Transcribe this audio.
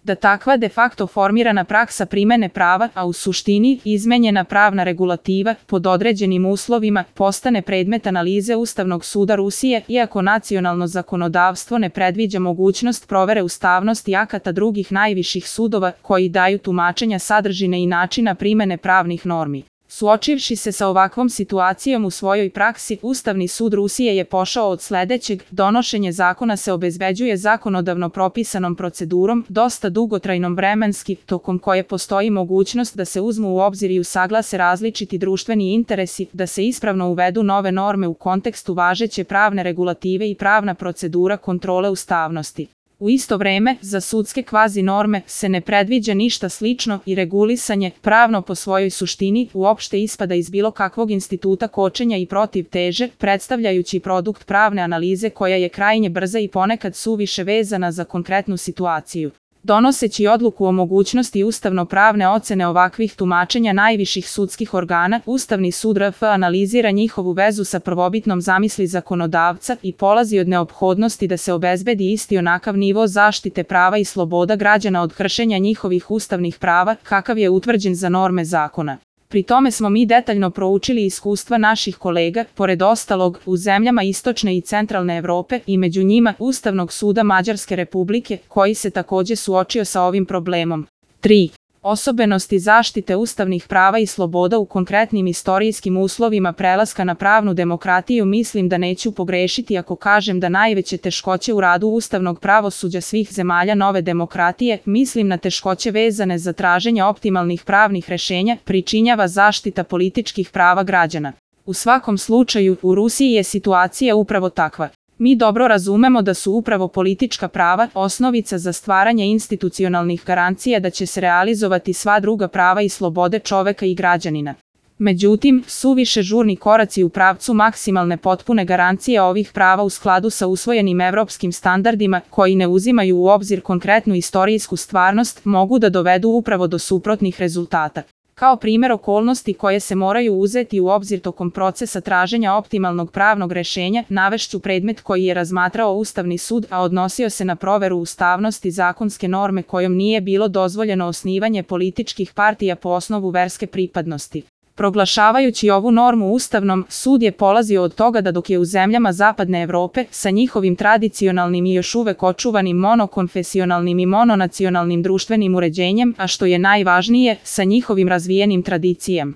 da takva de facto formirana praksa primene prava, a u suštini izmenjena pravna regulativa, pod određenim uslovima, postane predmet analize Ustavnog suda Rusije, iako nacionalno zakonodavstvo ne predviđa mogućnost provere ustavnosti akata drugih najviših sudova koji daju tumačenja sadržine i načina primene pravnih normi. Suočivši se sa ovakvom situacijom u svojoj praksi, Ustavni sud Rusije je pošao od sledećeg: donošenje zakona se obezbeđuje zakonodavno propisanom procedurom, dosta dugotrajnom vremenski, tokom koje postoji mogućnost da se uzmu u obzir i usaglase različiti društveni interesi, da se ispravno uvedu nove norme u kontekstu važeće pravne regulative i pravna procedura kontrole ustavnosti. U isto vreme, za sudske kvazi norme se ne predviđa ništa slično i regulisanje, pravno po svojoj suštini, uopšte ispada iz bilo kakvog instituta kočenja i protivteže, predstavljajući produkt pravne analize koja je krajnje brza i ponekad suviše vezana za konkretnu situaciju. Donoseći odluku o mogućnosti ustavno-pravne ocene ovakvih tumačenja najviših sudskih organa, Ustavni sud RF analizira njihovu vezu sa prvobitnom zamisli zakonodavca i polazi od neophodnosti da se obezbedi isti onakav nivo zaštite prava i sloboda građana od kršenja njihovih ustavnih prava, kakav je utvrđen za norme zakona. Pri tome smo mi detaljno proučili iskustva naših kolega, pored ostalog, u zemljama istočne i centralne Evrope i među njima Ustavnog suda Mađarske Republike, koji se takođe suočio sa ovim problemom. 3. Osobenosti zaštite ustavnih prava i sloboda u konkretnim istorijskim uslovima prelaska na pravnu demokratiju. Mislim da neću pogrešiti ako kažem da najveće teškoće u radu ustavnog pravosuđa svih zemalja nove demokratije, mislim na teškoće vezane za traženje optimalnih pravnih rešenja, pričinjava zaštita političkih prava građana. U svakom slučaju, u Rusiji je situacija upravo takva. Mi dobro razumemo da su upravo politička prava osnovica za stvaranje institucionalnih garancija da će se realizovati sva druga prava i slobode čoveka i građanina. Međutim, suviše žurni koraci u pravcu maksimalne potpune garancije ovih prava u skladu sa usvojenim evropskim standardima, koji ne uzimaju u obzir konkretnu istorijsku stvarnost, mogu da dovedu upravo do suprotnih rezultata. Kao primjer okolnosti koje se moraju uzeti u obzir tokom procesa traženja optimalnog pravnog rešenja, navešću predmet koji je razmatrao Ustavni sud, a odnosio se na proveru ustavnosti zakonske norme kojom nije bilo dozvoljeno osnivanje političkih partija po osnovu verske pripadnosti. Proglašavajući ovu normu ustavnom, sud je polazio od toga da dok je u zemljama Zapadne Evrope, sa njihovim tradicionalnim i još uvek očuvanim monokonfesionalnim i mononacionalnim društvenim uređenjem, a što je najvažnije, sa njihovim razvijenim tradicijama,